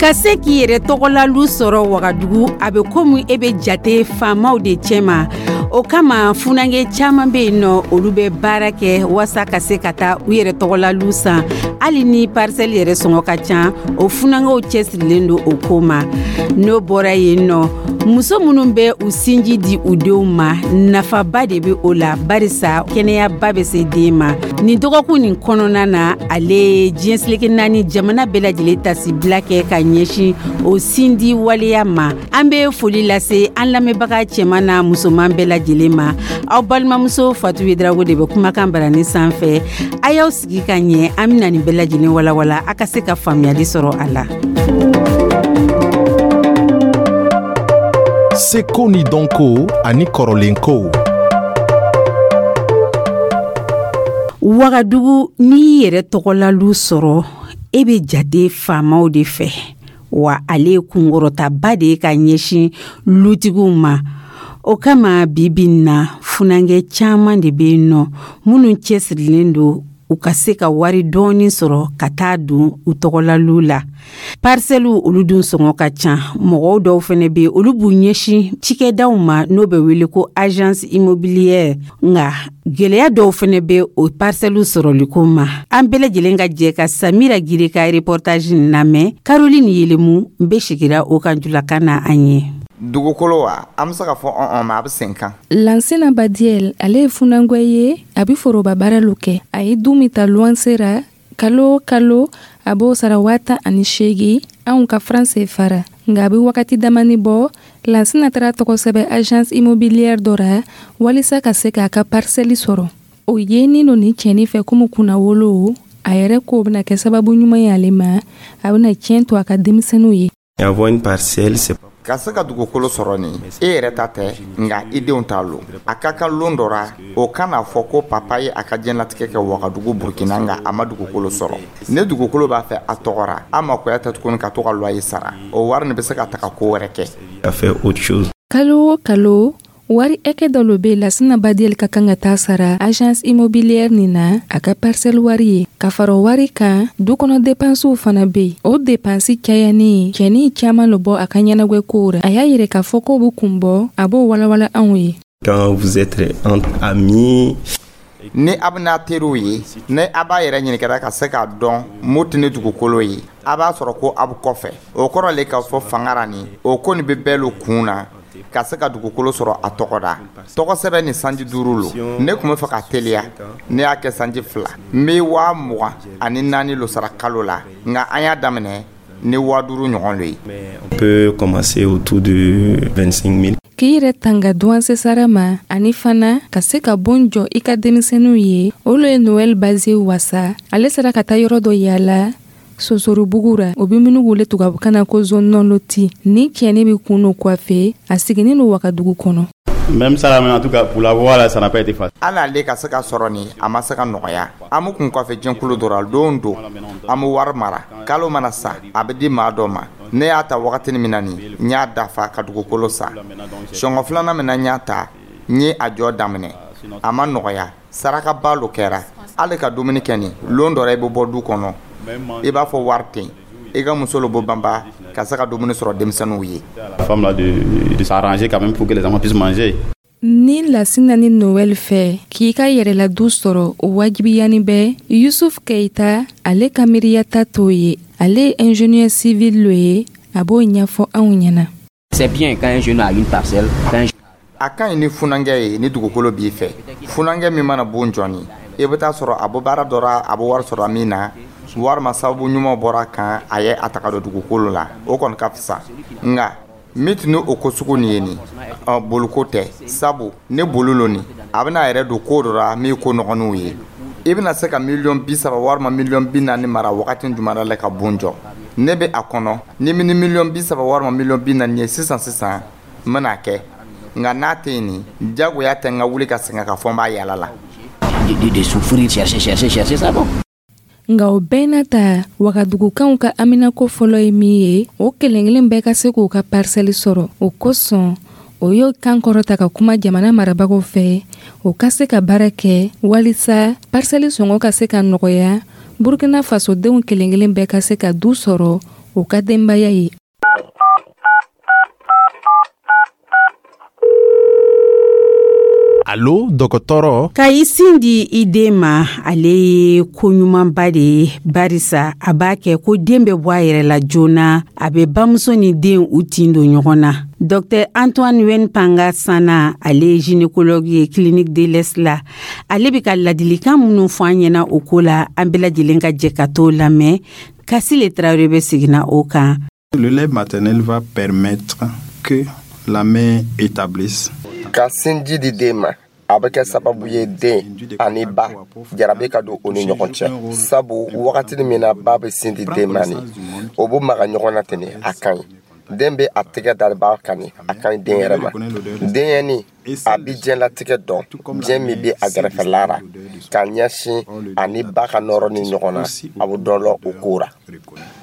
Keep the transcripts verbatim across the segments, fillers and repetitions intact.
Ka se k'i yɛrɛ tɔgɔlalu sɔrɔ Wagadugu, a bɛ komi e bɛ jate faamaw de cɛma. O kama, funankɛ caman bɛ yen nɔ, olu bɛ baara kɛ walasa ka se ka taa u yɛrɛ tɔgɔlalu san, hali ni parcelle yɛrɛ sɔngɔ ka ca. O funankɛw cɛsirilen don o ko ma. N'o bɔra yen nɔ, muso minnu bɛ u sinji di u denw ma, nafaba de bɛ o la, barisa kɛnɛyaba bɛ se den ma. Nin dɔgɔkun nin kɔnɔna na, ale ye diɲɛ seleke naani jamana bɛɛ lajɛlen tasibila kɛ ka ɲɛsin o sindi waleya ma. An bɛ foli lase an lamɛnbaga cɛman n'a musoman bɛɛ lajɛlen ma. Aw balimamuso Fatu Yedrago de bɛ kumakan barani sanfɛ. A y'aw sigi ka ɲɛ, an bɛna nin bɛɛ lajɛlen walawala, a ka se ka faamuyali sɔrɔ a la. Seko ni dɔnko ani kɔrɔlenkow. Wagadugu, n'i y'i yɛrɛ tɔgɔlalu sɔrɔ, e bɛ jate faamaw de fɛ wa. Ale ye kunkɔrɔtaba de ye ka ɲɛsin lutigiw ma. O kama, bi bi na, funankɛ caman de bɛ yen nɔ minnu cɛsirilen don u ka se ka wari dɔɔni sɔrɔ ka taa don u tɔgɔlalu la. Parisɛliw, olu dun sɔngɔ ka ca. Mɔgɔw dɔw fana bɛ yen, olu b'u ɲɛsin cikɛdaw ma, n'o bɛ wele ko agence immobilière. Nka gɛlɛya dɔw fana bɛ o parisɛliw sɔrɔliko ma. An bɛɛ lajɛlen ka jɛ ka Samira Gire ka reportage lamɛn. Caroline Yelemu bɛ sigira o kan julakan na an ye. Dugukolo wa, an bɛ se ka fɔ ɔn ma, a bɛ sen kan. Lansina Badiel, ale ye funangɛ ye, a bɛ foroba baara lo kɛ. A ye du min ta luwanse ra, kalo o kalo a b'o sara waa tan ani seegin anw ka franc C F A ra. Nka a bɛ wagati damani bɔ, Lansina taara tɔgɔ sɛbɛn agence immobilière dɔ ra walisa ka se k'a ka parcelle sɔrɔ. O yenin lo nin cɛnin fɛ komi kunnawolo. A yɛrɛ k'o bɛna kɛ sababu ɲuman ye ale ma, a bɛna tiɲɛ to a ka denmisɛnninw ye. Avoir une parcelle, c'est Ka se ka dugukolo sɔrɔ nin, e yɛrɛ ta tɛ, nka i denw t'a lo. A ka kan lon dɔ ra, o kana fɔ ko papa ye a ka diɲɛlatigɛ kɛ Wagadugu, Burkina, nka a ma dugukolo sɔrɔ. Ne dugukolo b'a fɛ a tɔgɔ ra, a makoya tɛ tuguni ka to ka loyer sara. O wari nin bɛ se ka taga ko wɛrɛ kɛ. À faire autre chose. Kalo o kalo, wari ɛkɛ dɔ lo be Lasina Badiel ka kan ka taa sara agence immobilière nin na, a ka parcelle wari ye. Ka fara o wari kan, du kɔnɔ depansiw fana be yen. O depansi cayani, cɛnin caaman lo bɔ a ka ɲɛnagwɛ kow ra. A y'a yɛrɛ k'a fɔ k'o be kun bɔ, a b'o walawala anw ye. Quand vous êtes entre amis, Ni a bɛna teriw ye, ni a b'a yɛrɛ ɲininkara ka se k'a dɔn mun tɛ ni dugukolo ye, a b'a sɔrɔ ko a bɛ kɔfɛ. O kɔrɔ le k'a fɔ fanga ra nin, o ko nin bɛ bɛɛ lo kun na ka se ka dugukolo sɔrɔ a tɔgɔ da. Tɔgɔ sɛbɛn ni sanji duuru lo. Ne tun bɛ fɛ ka teliya, ne y'a kɛ sanji fila. N bɛ waa mugan ani naani lo sara kalo la, nka an y'a daminɛ ni waa duuru ɲɔgɔn lo ye. On peut commencer autour de vingt-cinq mille. K'i yɛrɛ tanga duwanse sara ma, ani fana ka se ka bon jɔ i ka denmisɛnninw ye, o lo ye Noɛl Baze wasa. Ale sera ka taa yɔrɔ dɔ yaala Sosorobugu ra, o be minnu wele tubabukan na ko zone non lotie. Ni cɛni be kun no coiffe, a siginin no Wagadugu kɔnɔ. Même ça, en tout cas, pour l'avoir là, ça n'a pas été facile. Hali ale ka se ka sɔrɔ nin, a ma se ka nɔgɔya. An bɛ kun kɔfɛ jɛnkulu dɔ la. Don don, an bɛ wari mara. Kalo mana sa, a bɛ di maa dɔ ma. Ne y'a ta wagatini min na nin, n y'a dafa ka dugukolo san. Sɔngɔ filanan min na n y'a ta, n ye a jɔ daminɛ. A ma nɔgɔya, sarakaba lo kɛra. Hali ka dumuni kɛ nin, lon dɔ la, i bɛ bɔ du kɔnɔ, i b'a fɔ wari tɛ yen, i ka muso lo bɔ banba ka se ka dumuni sɔrɔ denmisɛnninw ye. La femme là de, de s'arranger quand même pour que les enfants puissent manger. Ni Lasina ni Noɛl fɛ k'i ka yɛrɛla du sɔrɔ, o wajibiyani bɛ. Yusuf Keita, ale ka miiriyata t'o ye. Ale ye ingénieur civil lo ye, a b'o ɲɛfɔ anw ɲɛna. C'est bien quand un jeune a une parcelle, quand un A ka ɲi ni funankɛ ye ni dugukolo b'i fɛ. Funankɛ min mana bon jɔni, i bɛ taa sɔrɔ a bɔ baara dɔ ra, a bɛ wari sɔrɔ min na, walima sababu ɲuman bɔra kan, a ye a taga don dugukolo la, o kɔni ka fisa. Nka min tun ni o ko sugu nin ye nin ɔ, boliko tɛ, sabu ne boli lo nin, a bɛna a yɛrɛ don ko dɔ la min ye ko nɔgɔninw ye. I bɛna se ka miliyɔn bi saba walima miliyɔn bi naani mara wagati jumɛn la ka bon jɔ? Ne bɛ a kɔnɔ ni ni miliyɔn bi saba walima miliyɔn bi naani ye sisan sisan, n bɛna kɛ. Nka n'a tɛ yen nin, jagoya tɛ n ka wuli ka sɛgɛn ka fɔ n b'a yala la. de, de, de souffrir, chercher, chercher, chercher ça bon. Nka o bɛɛ n'a ta, Wagadugukanw ka haminako fɔlɔ ye min ye, o kelen kelen bɛɛ ka se k'u ka parisɛli sɔrɔ. O kosɔn, o y'o kan kɔrɔta ka kuma jamana marabagaw fɛ, o ka se ka baara kɛ walisa parisɛli sɔngɔ ka se ka nɔgɔya, Burukina fasodenw kelen kelen bɛɛ ka se ka du sɔrɔ. o ka denbaya ye. Alo dɔgɔtɔrɔ. Ka i sin di i den ma, ale ye ko ɲumanba de ye, barisa a b'a kɛ ko den bɛ bɔ a yɛrɛ la joona, a bɛ bamuso ni den u tin don ɲɔgɔn na. Docteur Antoine Wenpanga Sana, ale ye gynécologue ye clinique de l'Est la, ale bɛ ka ladilikan minnu fɔ an ɲɛna o ko la, an bɛɛ lajɛlen ka jɛ ka t'o lamɛn. Kasile Tarawele bɛ seginna o kan. Le lait maternel va permettre que la mère établisse. Ka sinji di den ma, a bɛ kɛ sababu ye den ani ba jarabi ka don u ni ɲɔgɔn cɛ, sabu wagati min na ba bɛ sin di den ma ni o b'u maga ɲɔgɔn na ten, a ka ɲi. Den bɛ a tɛgɛ da ba kan ni a ka ɲi den yɛrɛ ma. Denyɛrɛnin a bɛ diɲɛlatigɛ dɔn, diɲɛ min bɛ a gɛrɛfɛla la ka ɲɛsin ani ba ka nɔrɔ ni ɲɔgɔn na, a bɛ dɔ lɔ o ko la.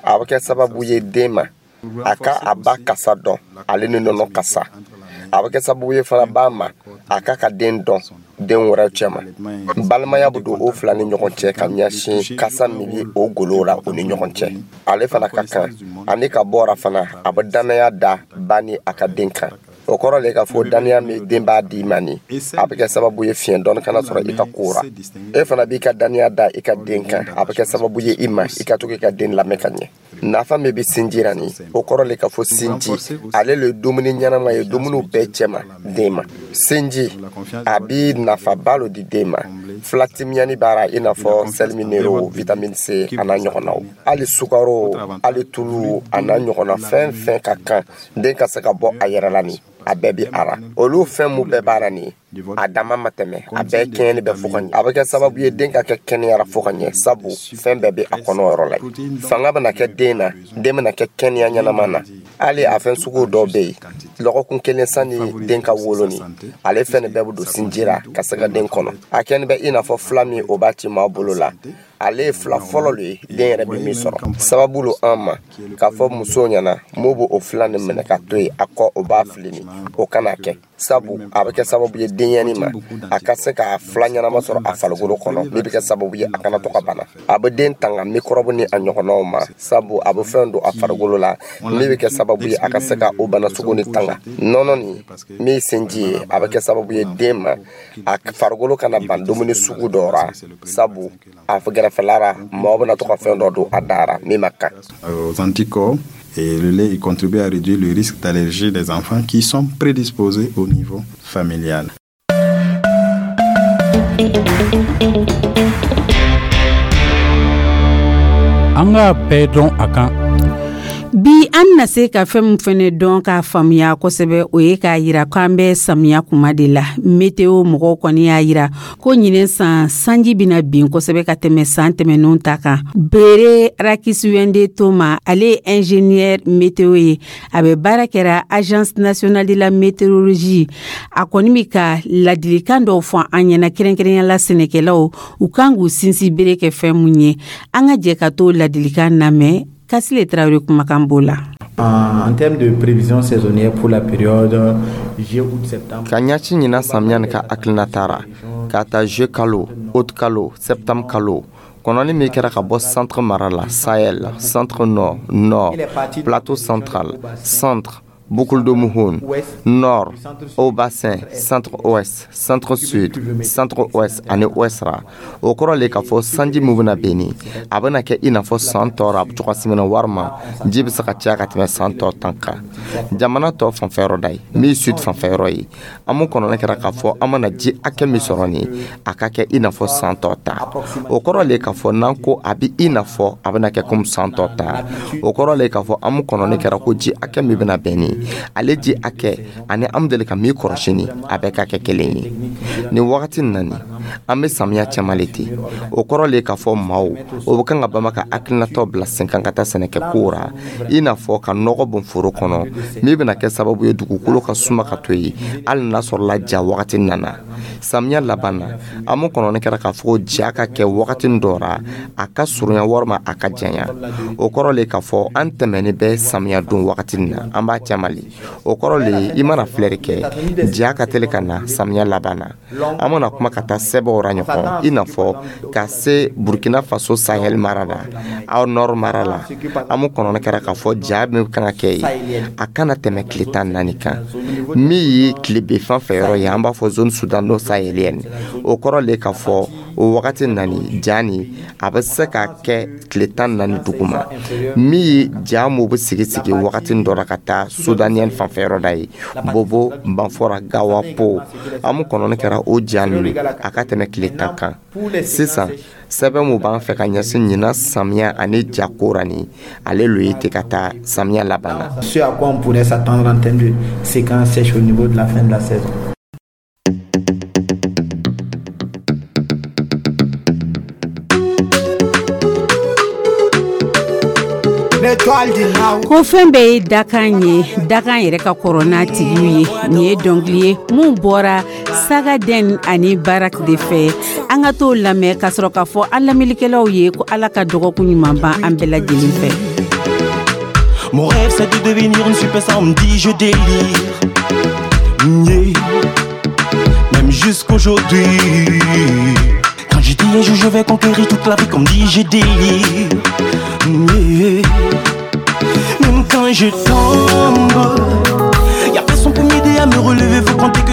A bɛ kɛ sababu ye den ma a ka a ba kasa dɔn, ale ni nɔnɔ kasa. A bɛ kɛ sababu ye fana ba ma a ka ka den dɔn den wɛrɛ cɛ ma. Balimaya bɛ don o fila ni ɲɔgɔn cɛ ka ɲɛsin kasa min bɛ o golo la o ni ɲɔgɔn cɛ. Ale fana ka kan ani ka bɔra fana, a bɛ dannaya da ba ni a ka den kan. O kɔrɔ le k'a fɔ dannaya min den b'a di ma ni, a bɛ kɛ sababu ye fiɲɛ dɔɔni kana sɔrɔ i ka ko ra. E fana b'i ka dannaya da i ka den kan, a bɛ kɛ sababu ye i ma i ka to k'i ka den lamɛn ka ɲɛ. Nafa min bɛ sinji la ni, o kɔrɔ le k'a fɔ sinji ale le dumuni ɲɛnama ye dumuniw bɛɛ cɛma den ma. Sinji a bi nafaba lo di den ma, filatimiyani b'a i n'a fɔ sels minéraux, vitamine C a n'a ɲɔgɔnnaw, hali sukaro, hali tulu a n'a ɲɔgɔnna, fɛn fɛn ka kan den ka se ka bɔ a yɛrɛ la ni, a bɛɛ bi a la. Olu fɛn mun bɛɛ b'a la nin, a dama ma tɛmɛ, a bɛɛ kɛɲɛni bɛ fo ka ɲɛ. A bɛ kɛ sababu ye den ka kɛ kɛnɛyara fo ka ɲɛ, sabu fɛn bɛɛ bɛ a kɔnɔ yɔrɔ la. Fanga bɛna kɛ den na, den bɛna kɛ kɛnɛya ɲɛnama na. Hali a fɛn sugu dɔw bɛ yen, lɔgɔkun kelen sanni den ka wolo ni, ale fɛn de bɛɛ bɛ don sinji la ka se ka den kɔnɔ. A kɛni bɛ i n'a fɔ fila min o b'a ci maa bolo la, ale ye fila fɔlɔ le ye den yɛrɛ bɛ min sɔrɔ. Sababu lo an ma k'a fɔ musow ɲɛna m'o b'o fila nin minɛ ka to yen, a kɔ o b'a fili ni, o kana kɛ, sabu a bɛ kɛ sababu ye denyɛrɛnin ma a ka se k'a fila ɲɛnama sɔrɔ a farikolo kɔnɔ, min bɛ kɛ sababu ye a kana to ka bana. A bɛ den tanga microbe ni a ɲɔgɔnnaw ma, sabu a bɛ fɛn don a farikolo la min bɛ kɛ sababu ye a ka se ka o bana sugu ni tanga. Nɔnɔ nin min ye sinji ye, a bɛ kɛ sababu ye den ma a farikolo kana ban dumuni sugu dɔ ra, sabu a gɛrɛfɛla la mɔgɔ bɛna to ka fɛn dɔ don a da ra min ma kan. Aux anticorps. Et le lait, il contribue à réduire le risque d'allergie des enfants qui sont prédisposés au niveau familial. An ka bɛɛ dɔn a kan. Bi an bɛna se ka fɛn min fɛnɛ dɔn k'a faamuya kosɛbɛ, o ye k'a yira k'an bɛ samiya kuma de la. Météo mɔgɔw kɔni y'a yira ko ɲinɛ san sanji bɛna bin kosɛbɛ ka tɛmɛ san tɛmɛnenw ta kan. Bere Rakisiwende Toma, ale ye ingénieur météo ye, a bɛ baara kɛra Agence nationale de la météorologie. A kɔni bɛ ka ladilikan dɔw fɔ an ɲɛna, kɛrɛnkɛrɛnnenya la sɛnɛkɛlaw u kan k'u sinsin bere kɛ fɛn mun ye. An ka jɛ ka t'o ladilikan lamɛn. Kasile Tarawele kumakan b'o la. En termes de prévision saisonnière pour la période juillet, août, septembre. Ka ɲɛsin ɲinan samiya ni ka hakilina taara k'a ta juillet kalo, août kalo, septembre kalo kɔnɔni min kɛra ka bɔ centre mara la, Sahel, centre nord, nord, plateau central, centre, boucle de Mouhoun, nord, haut bassin, centre ouest, centre sud, centre ouest ani ouest ra. O kɔrɔ le k'a fɔ sanji min bɛna ben ni, a bɛna kɛ i n'a fɔ san tɔ ra cogoya min na, walima ji bɛ se ka caya ka tɛmɛ san tɔ tan kan. Jamana tɔ fanfɛyɔrɔ da ye min ye sud fanfɛyɔrɔ ye, an mun kɔnɔna kɛra k'a fɔ an mana ji hakɛ min sɔrɔ nin, a ka kɛ i n'a fɔ san tɔ ta. O kɔrɔ le k'a fɔ n'an ko a bɛ i n'a fɔ a bɛna kɛ komi san tɔ ta, o kɔrɔ le k'a fɔ an mun kɔnɔni kɛra ko ji hakɛ min bɛna bɛn nin, ale ji hakɛ ani an deli ka min kɔrɔsi ni, a bɛɛ ka kɛ kelen ye. Nin wagati nin na nin, an bɛ samiya cɛman le ten. O kɔrɔ le k'a fɔ maaw o bɛ kan ka bama ka hakilinataw bila sen kan ka taa sɛnɛkɛ kow ra, i n'a fɔ ka nɔgɔ bɔn foro kɔnɔ min bɛna kɛ sababu ye dugukolo ka suma ka to yen hali n'a sɔrɔla ja wagati nana. Samiya laban na, an mun kɔnɔni kɛra k'a fɔ ko ja ka kɛ wagati dɔ ra, a ka surunya walima a ka janya. O kɔrɔ le k'a fɔ an tɛmɛni bɛ samiya don wagati na, an b'a cɛma le. O kɔrɔ le, i mana filɛri kɛ, ja ka teli ka na samiya laban na. An mana kuma ka taa sɛbɛnw ra ɲɔgɔn, i n'a fɔ ka se Burkina Faso Sahel mara la, aw Nord mara la, an mun kɔnɔni kɛra k'a fɔ ja min kan ka kɛ yen, a kana tɛmɛ tile tan naani kan. Min ye tilebe fan fɛ yɔrɔ ye, an b'a fɔ zone soudano-sahélienne, o kɔrɔ le k'a fɔ o wagati nani, ja ni a bɛ se ka kɛ tile tan naani duguma. Min ye ja mun bɛ sigi sigi wagati dɔ la ka taa soudanienne fanfɛ yɔrɔ da ye, Bobo, Banfora, Gawa, Po, an mun kɔnɔni kɛra o ja ninnu, a ka tɛmɛ tile tan kan. Sisan, sɛbɛn mun b'an fɛ ka ɲɛsin ɲinan samiya ani jako ra, ni ale lo ye ten ka taa samiya laban na. Ce à quoi on pourrait s'attendre en termes de séquence sèche au niveau de la fin de la saison. Ko fɛn bɛɛ ye dakan ye, dakan yɛrɛ ka kɔrɔ n'a tigiw ye. Nin ye dɔnkili ye mun bɔra Sagaden ani Barak de fɛ. An ka t'o lamɛn ka sɔrɔ k'a fɔ an lamɛnnikɛlaw ye ko Ala ka dɔgɔkun ɲuman ban an bɛɛ lajɛlen fɛ. Mon rêve, c'est de devenir une superstar, on me dit je délire. Yeah. Même jusqu'aujourd'hui. Quand j'ai dit un jour je vais conquérir toute l'Afrique, on me dit je délire. Yeah. Même quand je tombe, y'a personne pour m'aider à me relever, faut compter que